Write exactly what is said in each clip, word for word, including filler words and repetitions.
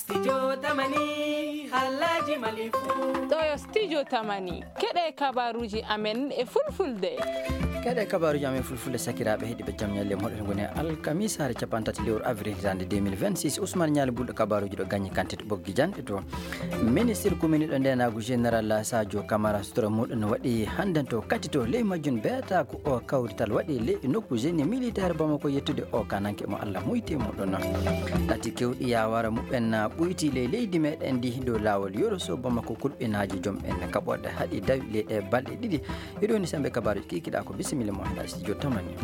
Studio Tamani, Halaji Malifu. Ɗo yo Studio Tamani. Keɗe kabaruji amen e fulfulde. Keɗe kabaruji amen fulfulde, sakiraaɓe heɗiɓe, jam ñalle moɗon. Ngoni alkamisaare capantati lewru avril hitaande deux mille vingt-six. Ousmane Ñaali Bulɗo kabaruji ɗo gañi kante to Ɓoggi Janɗe to. Ministre kuminiɗo ndenaagu général Sadio Camara sutura muɗum waɗi hannden to kati to ley majjum beetaaku o kawrital waɗi ley nokku génie militaire Bamako yettude o kananke mo Allah muyti muɗum. Ɗati kewɗi yawara muɓɓen ɓuyti ley leydi meɗen ndi dow laawol Yoroso Bamako kulɓinaaji jom en kaɓorɗe haɗi dawi ley ɗe balɗe ɗiɗi. Hiɗo woni sembe kabaruji kikiɗa ko bisimilla mo hena studio Tamani.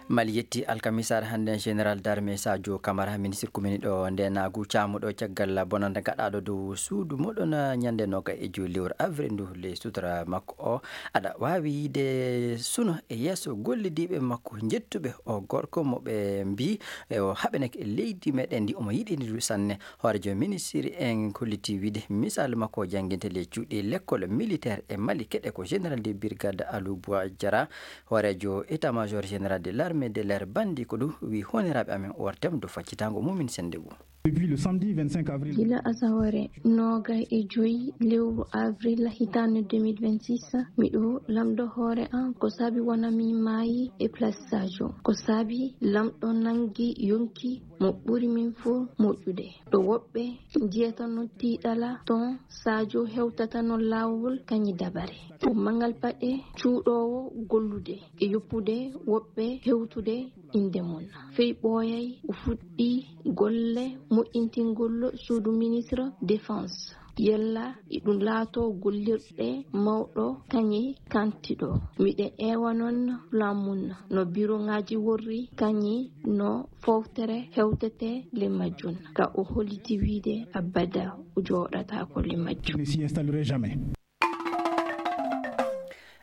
Mali yetti alkamisaare hannde général d'armée Sadio Camara, ministre kumini ɗo nde naagu caamuɗo caggal bonannde gaɗaaɗo dow suudu moɗon ñannde noga e joyi lewru avril ndu. Ley sutura makko o aɗa waawi yiide suno e yeeso gollidiiɓe makko njettuɓe o gorko mo ɓe mbi e o haɓeneke leydi meɗen ndi omo yiɗini ɗum sanne. Hoorejo ministre en kolliti wiide misal makko jannginte ley cuuɗi lekkol militaire e Mali keɗe ko général de brigade Alou Boua Diarra. Hooreejo état-major général de l'armée de l'air bandi ko ɗum wi honoraaɓe amen o wartem do faccitango mumin sende ngu. Depuis le samedi vingt-cinq avril. Gila asaware noogay e joyi lewru avril hitaande deux mille vingt-six, miɗo lamdo hoore an ko saabi wona mi maayi e place Sadio. Ko saabi lamɗo nangi yonki mo ɓuri min fof moƴƴude. Ɗo woɓɓe njiyata no tiiɗala ton Sadio hewtata no laawol kañi dabare. Ko mangal paɗe cuuɗoowo gollude e yoppude woɓɓe hewtude innde mum. Fey ɓooyay o fuɗɗi golle moƴƴintingol suudu ministre défense. Yalla iɗum laato gollirɗe mawɗo kañi kantiɗo. Miɗe eewa noon plan mum no biroŋaaji worri kañi no fowtere hewtete le majjum. Ka o holliti wiide abada o jooɗataako le majjum. Ne s'y installerait jamais.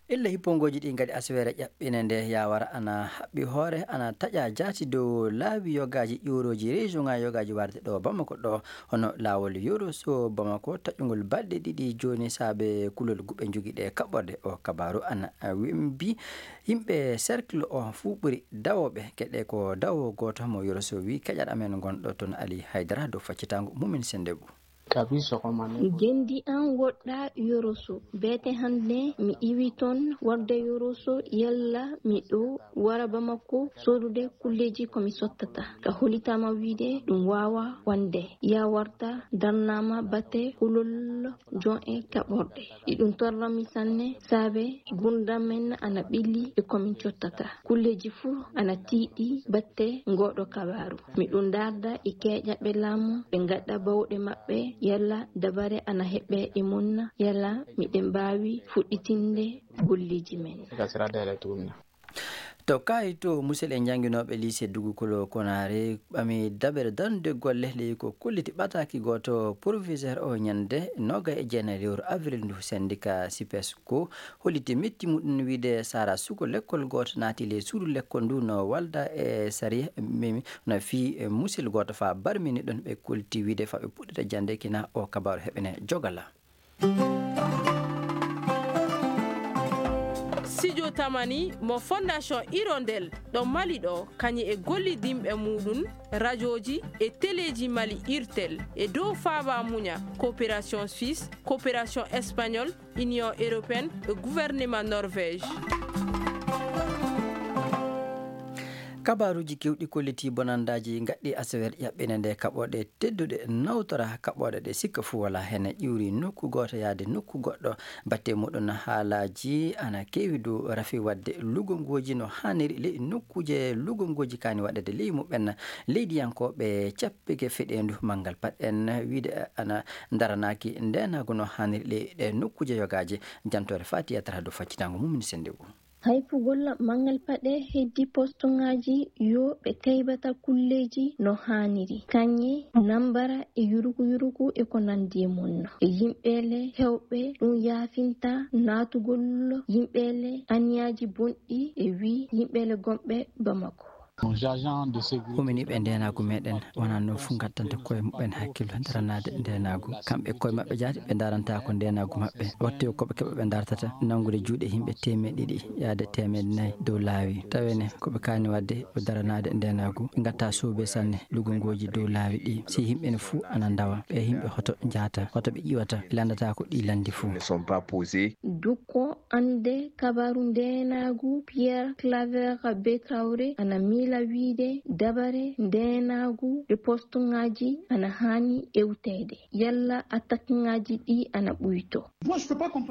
Illa hippongooji ɗi ngaɗi aswere ƴaɓɓine nde yawara ana haɓɓi hoore ana taƴa jaati dow laawi yogaaji ƴuurooji région ŋa yogaaji warde ɗo Bamako ɗo. Hono laawol Yoroso Bamako taƴungol balɗe ɗiɗi jooni saabe kulol guɓe jogi ɗe kaɓɓorde o kabaaru ana wimbi yimɓe cercle o fuu ɓuri dawooɓe keɗe ko dawo gooto mo Yoroso wi keƴal amen ngonɗo toon Ali Haydara dow faccitango mumin sende ngu. Gendi an woɗɗa Yoroso. Beete hannde mi iwi toon warde Yoroso, yalla miɗo wara Bamako sodude kulleeji ko mi sottata. Ka holitama wiide ɗum waawa wonde. Ya warta darnama bate kulol jon e kaɓorɗe. Iɗum torrami sanne saabe gurdam men ana ɓilli e ko min cottata. Kulleeji fuu ana tiiɗi batte ngooɗo kabaaru. Miɗum darda e keeƴaɓe laamu ɓe ngaɗa bawɗe maɓɓe yalla dabare ana heɓe e mum yalla miɗen mbaawi fuɗɗitinde golleeji men. To kaayi to musel e jannginooɓe lycée Dugukolo Konare ɓami dabere darnude golle ley ko kolliti ɓataaki gooto proviseur o ñande noga e jeenayi lewru avril ndu syndicat sipes ko holliti metti muɗum wiide sara suko lekkol gooto naati ley suudu lekkol ndu no walda e sariya mimi no fii e musil gooto fa barmini ɗon ɓe kolti wiide fa ɓe puɗɗata jande kina o kabaru heɓene jogala. Studio Tamani mo Fondation Hirondelle ɗo Mali ɗo kañi e gollidinɓe muɗum rajoji e teleji Mali Irtel e dow faaba muña coopération suisse, coopération espagnole, Union européenne e gouvernement Norvège. Kabaruuji kewɗi kolliti bonandaaji ngaɗɗi asewer ƴaɓɓinde nde kaɓooɗe tedduɗe nawtora kaɓooɗe ɗe sikka fuu wala hene ƴiwri nokku gooto yaade nokku goɗɗo. Batte muɗum haalaaji ana keewi dow rafi waɗde lugongooji no haaniri ley nokkuuje lugongooji kaani waɗede ley muɓɓen leydiyankooɓe cappike feɗeendu manngal paɗɗen wiide ana ndaranaaki ndeenaagu no haaniri ley ɗe nokkuuje yogaaje. Jantoore Fatiya Tara dow faccitango mum ni sennde ngu. Hayfugol manngal paɗe heddi postoŋaaji yo ɓe taybata kulleeji no haaniri, kañe nambara e yuruku yuruku e ko nanndi e mum. E yimɓeele heewɓe ɗum yaafinta naatugol yimɓeele aniyaaji bonɗi e wi yimɓeele gomɓe Bamako. Nos agents de sécurité. Huminii ɓe ndeenaagu meɗen wonaa noon fof ngattanta koye muɓɓen hakkillo daranaade ndeenaagu. Kamɓe koye maɓɓe jaati ɓe ndaranta ko ndeenaagu maɓɓe. Waɗti ko ɓe keɓa ɓe ndartata nanngude juuɗe yimɓe teemeɗe ɗiɗi yaade teemeɗe nayi dow laawi. Tawene ko ɓe kaani waɗde ko daranaade ndeenaagu. Ɓe ngatta suuɓe sanne lugungooji dow laawi ɗi. Si yimɓe ne fuu ana ndawa, ɓe yimɓe hoto njahata, hoto ɓe ƴiwata, ɓe lanndata ko ɗi lanndi fuu. Ne sont pas posés. Dukko annde kabaru ndeenaagu Pierre Claver Bekawre ana miila wiide dabare ndeenaagu e postuŋaaji ana haani ewteede. Yalla attaqueŋaaji ɗi ana ɓuyto.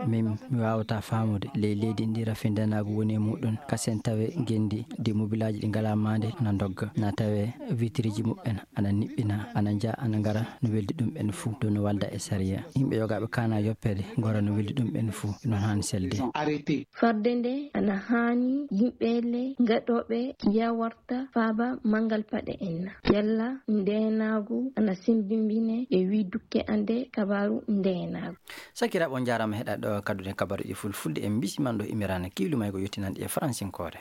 Min mi waawata faamude ley leydi ndi rafi ndeenaagu woni e muɗum. Kasen tawe ngenndi de mobilaaji ɗi ngalaa maande ana ndogga. Na tawe vitriji muɓɓen ana niɓɓina, ana nja, ana ngara no weldi ɗum ɓen fuu, dow no walda e sariya. Yimɓe yogaaɓe kaana yoppere ngora no weldi ɗum ɓen fuu, noon haani selde. Arrêté. Farde nde ana haani yimɓe le ngaɗooɓe yawarta faaba manngal paɗe en na. Yalla ndeenaagu ana sembimbine e wi dukke annde kabaru ndeenaagu. Sakiraaɓe, on njaaraama heɗaade ɗo kadduɗen kabaruuji fulfulde. En mbisiman ɗo imirana kiilu may ko yottinande e faransinkoore.